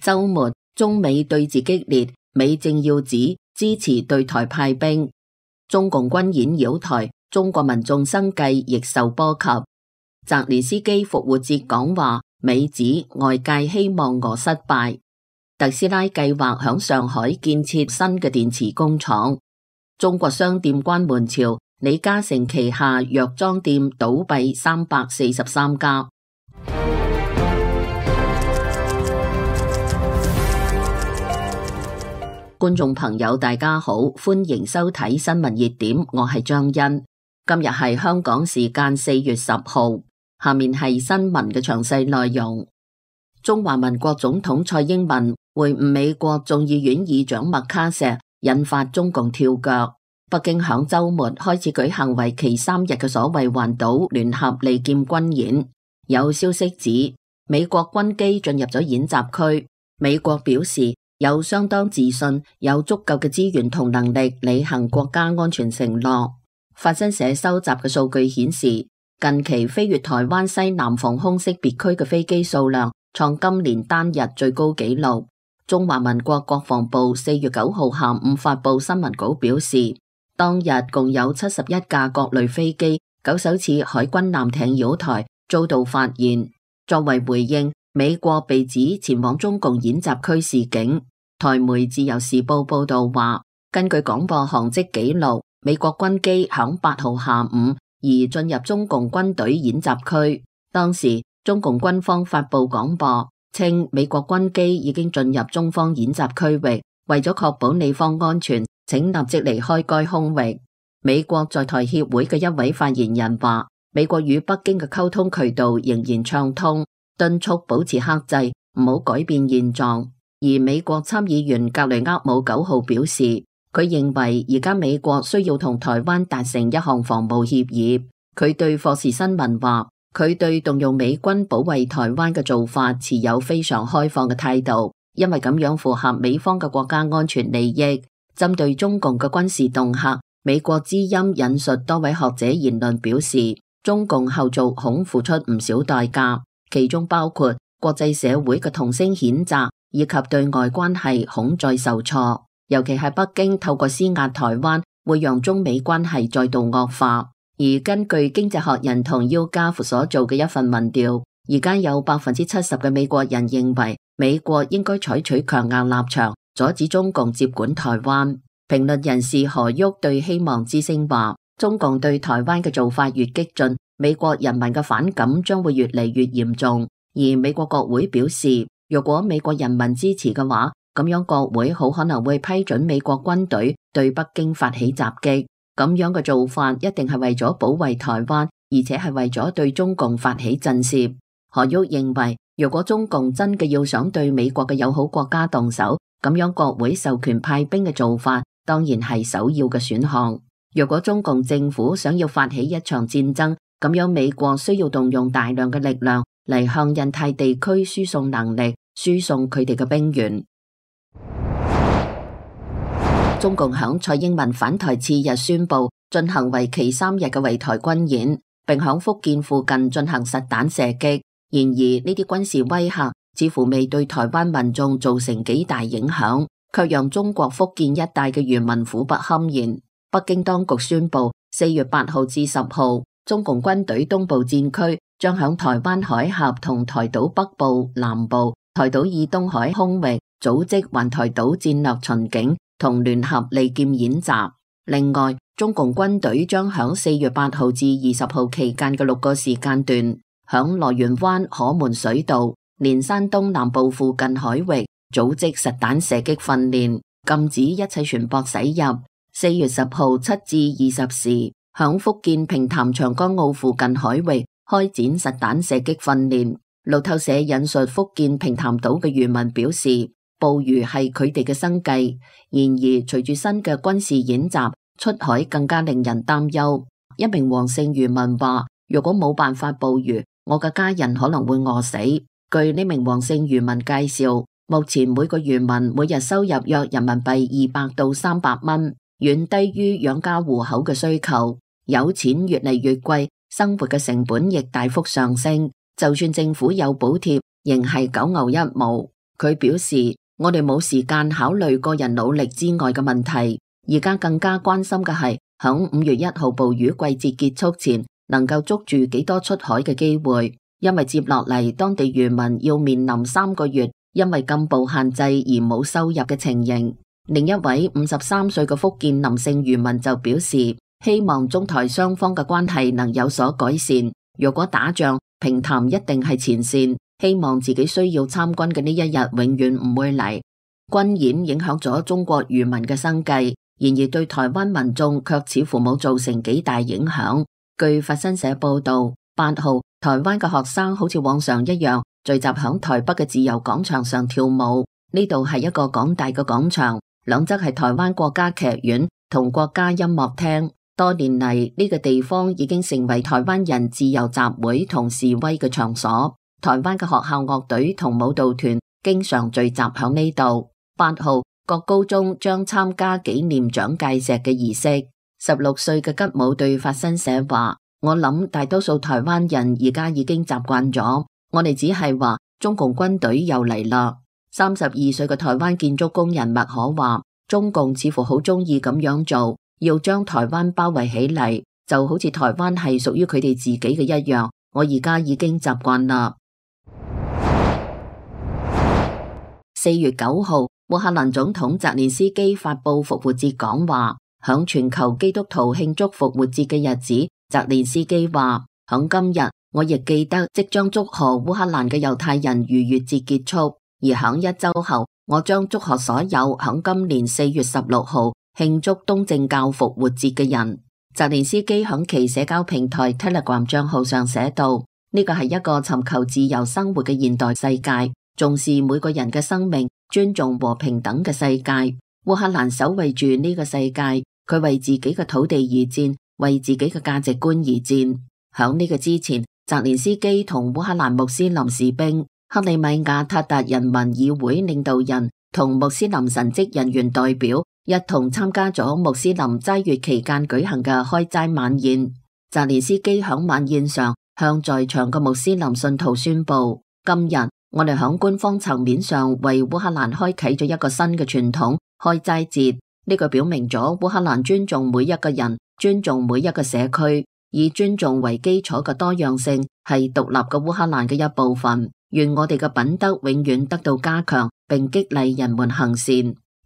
週末，中美對峙激烈，美政要指支持對台派兵，中共軍演擾台，中國民眾生計亦受波及。澤連斯基復活節講話，美指外界希望俄失敗。特斯拉計劃響上海建設新嘅電池工廠。中國商店關門潮，李嘉誠旗下藥妝店倒閉343家。觀眾朋友大家好，歡迎收睇新聞熱點，我係張欣。今日係香港時間4月10號，下面係新聞嘅詳細內容。中華民國總統蔡英文會晤美國眾議院議長麥卡錫，引發中共跳腳。北京響週末開始舉行為期3日嘅所謂環島聯合利劍軍演，有消息指美國軍機進入咗演習區。美國表示有相當自信，有足夠嘅資源同能力履行國家安全承諾。法新社收集嘅數據顯示，近期飛越台灣西南防空識別區嘅飛機數量創今年單日最高紀錄。中華民國國防部4月9號下午發布新聞稿表示，當日共有71架各類飛機、9艘次海軍艦艇擾台，遭到發現。作為回應，美國被指前往中共演習區示警。台媒自由時報報道話，根據廣播航跡記錄，美國軍機響8號下午移進入中共軍隊演習區。當時中共軍方發布廣播，稱美國軍機已經進入中方演習區域，為咗確保你方安全，請立即離開該空域。美國在台協會嘅一位發言人話，美國與北京嘅溝通渠道仍然暢通，敦促保持克制，唔好改變現狀。而美國參議員格雷厄姆9號表示，佢認為而家美國需要同台灣達成一項防務協議。佢對霍士新聞話，佢對動用美軍保衛台灣嘅做法持有非常開放嘅態度，因為咁樣符合美方嘅國家安全利益。針對中共嘅軍事恫嚇，美國之音引述多位學者言論表示，中共後續恐付出唔少代價，其中包括國際社會嘅同聲譴責，以及對外關係恐再受挫，尤其係北京透過施壓台灣，會讓中美關係再度惡化。而根據經濟學人同 YouGov 所做嘅一份民調，而家有70%嘅美國人認為美國應該採取強硬立場，阻止中共接管台灣。評論人士何旭對希望之聲話，中共對台灣嘅做法越激進，美國人民嘅反感將會越嚟越嚴重。而美國國會表示，如果美國人民支持嘅話，咁樣國會好可能會批准美國軍隊對北京發起襲擊。咁樣嘅做法一定係為咗保衛台灣，而且係為咗對中共發起震懾。何旭認為，如果中共真嘅要想對美國嘅友好國家動手，咁樣國會授權派兵嘅做法當然係首要嘅選項。如果中共政府想要發起一場戰爭，咁樣美國需要動用大量嘅力量嚟向印太地區輸送能力，輸送佢哋嘅兵員。中共響蔡英文返台次日宣布進行為期3日嘅圍台軍演，並響福建附近進行實彈射擊。然而呢啲軍事威嚇似乎未對台灣民眾造成幾大影響，卻讓中國福建一帶嘅漁民苦不堪言。北京當局宣布4月8號至10號，中共軍隊東部戰區將響台灣海峽同台島北部、南部、台島以東海空域組織環台島戰略巡警同聯合利劍演習。另外，中共軍隊將響4月8號至20號期間嘅6個時間段，響羅源灣、可門水道、連山東南部附近海域組織實彈射擊訓練，禁止一切船舶駛入。4月10號7至20時，響福建平潭長江澳附近海域開展實彈射擊訓練。路透社引述福建平潭島嘅漁民表示，捕魚係佢哋嘅生計。然而，隨住新嘅軍事演習，出海更加令人擔憂。一名黃姓漁民話，如果冇辦法捕魚，我嘅家人可能會餓死。據呢名黃姓漁民介紹，目前每個漁民每日收入約人民幣200到300蚊，遠低於養家糊口嘅需求。有錢越嚟越貴，生活嘅成本亦大幅上升。就算政府有補貼，仍係九牛一毛。佢表示，我哋冇時間考慮個人努力之外嘅問題，而家更加關心嘅係響5月1號捕魚季節結束前能夠捉住幾多出海嘅機會，因為接落嚟當地漁民要面臨3個月因為禁捕限制而冇收入嘅情形。另一位53歲嘅福建林姓漁民就表示，希望中台雙方嘅關係能有所改善。如果打仗，平潭一定係前線，希望自己需要參軍嘅呢一日永遠唔會嚟。軍演影響咗中國漁民嘅生計，然而對台灣民眾卻似乎冇造成幾大影響。據法新社報道，8號台灣嘅學生好似往常一樣聚集響台北嘅自由廣場上跳舞。呢度係一個廣大嘅廣場，兩側係台灣國家劇院同國家音樂廳。多年嚟，呢個地方已經成為台灣人自由集會同示威嘅場所。台灣嘅學校樂隊同舞蹈團經常聚集響呢度。8號各高中將參加紀念蔣介石嘅儀式。16歲嘅吉姆對法新社話：我諗大多數台灣人而家已經習慣咗，我哋只係話中共軍隊又嚟啦。32歲嘅台灣建築工人麥可話：中共似乎好中意咁樣做，要將台灣包圍起嚟，就好似台灣係屬於佢哋自己嘅一樣。我而家已經習慣啦。4月9號，烏克蘭總統澤連斯基發佈復活節講話，響全球基督徒慶祝復活節嘅日子，澤連斯基話：響今日，我亦記得即將祝賀烏克蘭嘅猶太人逾越節結束，而響1週後，我將祝賀所有響今年4月16號慶祝東正教復活節嘅人。澤連斯基響其社交平台 Telegram 賬號上寫道：呢個係一個尋求自由生活嘅現代世界，重視每個人嘅生命，尊重和平等嘅世界。烏克蘭守衛住呢個世界，佢為自己嘅土地而戰，為自己嘅價值觀而戰。響呢個之前，澤連斯基同烏克蘭穆斯林士兵、克里米亞塔達人民議會領導人同穆斯林神職人員代表一同參加咗穆斯林齋月期間舉行嘅開齋晚宴。澤連斯基響晚宴上向在場嘅穆斯林信徒宣布：今日我哋響官方層面上為烏克蘭開啟咗一個新嘅傳統——開齋節。呢個表明咗烏克蘭尊重每一個人，尊重每一個社區，以尊重為基礎嘅多樣性係獨立嘅烏克蘭嘅一部分。願我哋嘅品德永遠得到加強，並激勵人們行善。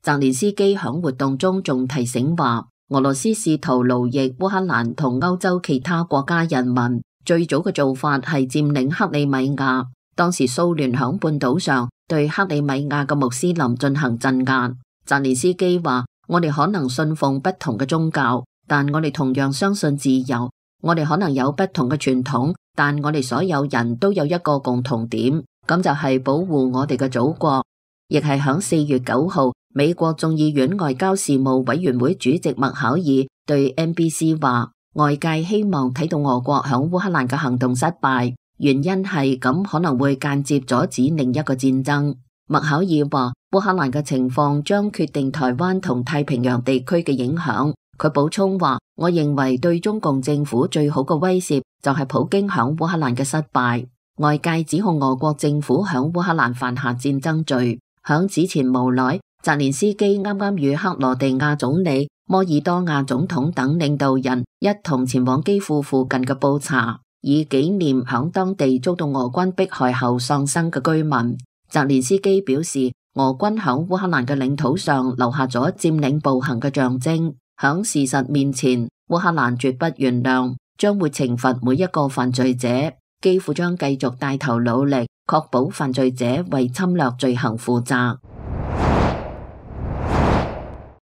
澤連斯基響活動中仲提醒話：俄羅斯試圖奴役烏克蘭同歐洲其他國家人民，最早嘅做法係佔領克里米亞。當時蘇聯響半島上對克里米亞嘅穆斯林進行鎮壓。澤連斯基話：我哋可能信奉不同嘅宗教，但我哋同樣相信自由。我哋可能有不同嘅傳統，但我哋所有人都有一個共同點，咁就係保護我哋嘅祖國。亦係響4月9號，美國眾議院外交事務委員會主席麥考爾對 NBC 話：外界希望睇到俄國響烏克蘭嘅行動失敗。原因係咁可能會間接阻止另一個戰爭。麥考爾話：烏克蘭嘅情況將決定台灣同太平洋地區嘅影響。佢補充話：我認為對中共政府最好嘅威懾就係普京響烏克蘭嘅失敗。外界指控俄國政府響烏克蘭犯下戰爭罪。響此前無耐，澤連斯基啱啱與克羅地亞總理、摩爾多瓦總統等領導人一同前往基輔附近嘅布查，以紀念響當地遭到俄軍迫害後喪生嘅居民。澤連斯基表示，俄軍響烏克蘭嘅領土上留下咗佔領暴行嘅象徵。響事實面前，烏克蘭絕不原諒，將會懲罰每一個犯罪者。基輔將繼續帶頭努力，確保犯罪者為侵略罪行負責。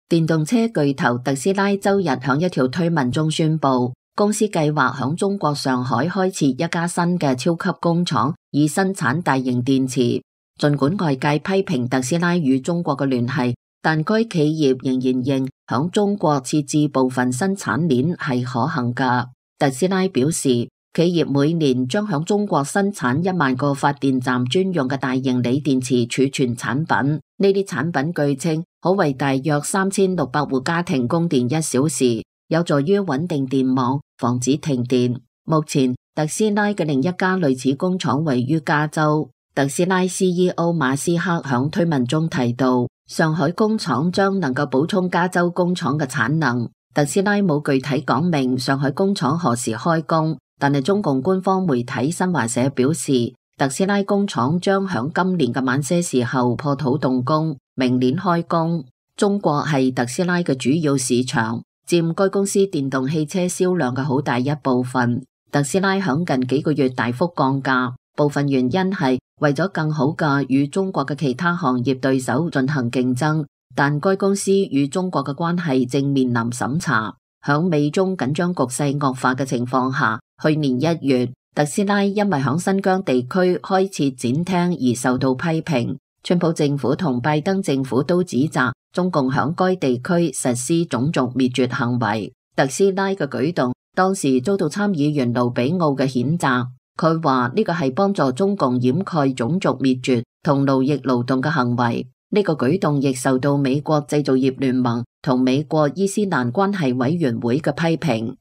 電動車巨頭特斯拉周日響一條推文中宣布，公司計劃響中國上海開設一家新嘅超級工廠，以生產大型電池。盡管外界批評特斯拉與中國嘅聯繫，但該企業仍然認響中國設置部分生產鏈係可行㗎。特斯拉表示，企業每年將響中國生產1萬個發電站專用嘅大型鋰電池儲存產品。呢啲產品據稱可為大約3600戶家庭供電1小時，有助於穩定電網，防止停電。目前特斯拉嘅另一家類似工廠位於加州。特斯拉 CEO 馬斯克響推文中提到，上海工廠將能夠補充加州工廠嘅產能。特斯拉冇具體講明上海工廠何時開工，但係中共官方媒體新華社表示，特斯拉工廠將響今年嘅晚些時候破土動工，明年開工。中國係特斯拉嘅主要市場，佔該公司電動汽車銷量嘅好大一部分。特斯拉響近幾個月大幅降價，部分原因係為咗更好嘅與中國嘅其他行業對手進行競爭，但該公司與中國嘅關係正面臨審查。響美中緊張局勢惡化嘅情況下，去年1月，特斯拉因為響新疆地區開設展廳而受到批評。川普政府同拜登政府都指責中共響該地區實施種族滅絕行為。特斯拉嘅舉動當時遭到參議員盧比奧嘅譴責，佢話呢個係幫助中共掩蓋種族滅絕同奴役勞動嘅行為。呢個舉動亦受到美國製造業聯盟同美國伊斯蘭關係委員會嘅批評。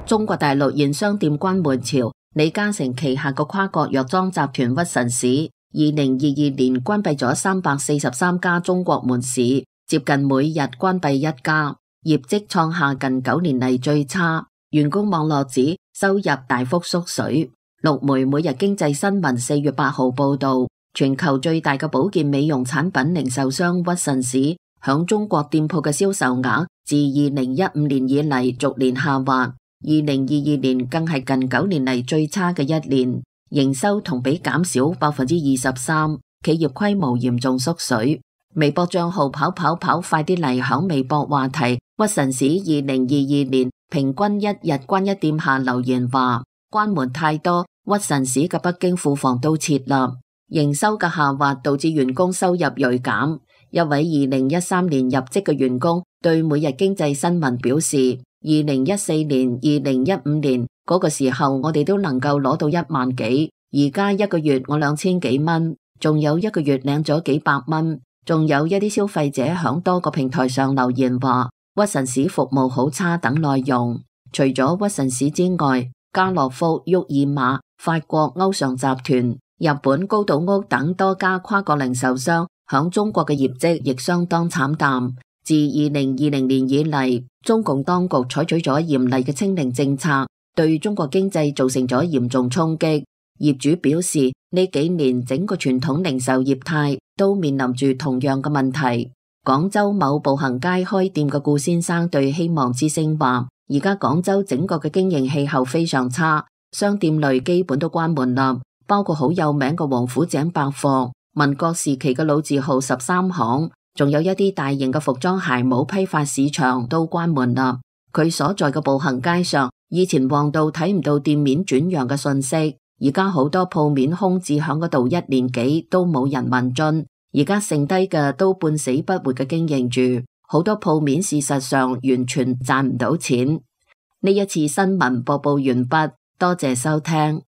中國大陸現商店關門潮，李嘉誠旗下個跨國藥妝集團屈臣氏2022年關閉咗343家中國門市，接近每日關閉1家，業績創下近9年嚟最差。員工網絡指收入大幅縮水。陸媒每日經濟新聞4月8號報道，全球最大嘅保健美容產品零售商屈臣氏響中國店鋪嘅銷售額自2015年以嚟逐年下滑。2022年更係近9年嚟最差嘅一年，營收同比減少23%，企業規模嚴重縮水。微博賬號跑快啲嚟響微博話題屈臣氏2022年平均一日關一店下留言話，關門太多，屈臣氏嘅北京庫房都撤啦。營收嘅下滑導致員工收入銳減。一位2013年入職嘅員工對每日經濟新聞表示，2014年、2015年嗰個時候我哋都能夠攞到1萬幾，而家一個月我2000幾蚊，仲有一個月領咗幾百蚊。仲有一啲消費者響多個平台上留言話屈臣氏服務好差等內容。除咗屈臣氏之外，家樂福、沃爾瑪、法國歐尚集團、日本高島屋等多家跨國零售商響中國嘅業績亦相當慘淡。自2020年以嚟，中共當局採取咗嚴厲嘅清零政策，對中國經濟造成咗嚴重衝擊。業主表示，呢幾年整個傳統零售業態都面臨住同樣嘅問題。廣州某步行街開店嘅顧先生對希望之聲話，而家廣州整個嘅經營氣候非常差，商店類基本都關門啦，包括好有名嘅王府井百貨、民國時期嘅老字號13行，仲有一啲大型嘅服裝鞋帽批發市場都關門啦。佢所在嘅步行街上，以前旺到睇唔到店面轉讓嘅信息，而家好多鋪面空置響嗰度1年幾都冇人問津，而家剩低嘅都半死不活嘅經營住，好多鋪面事實上完全賺唔到錢。呢一次新聞播報完畢，多謝收聽。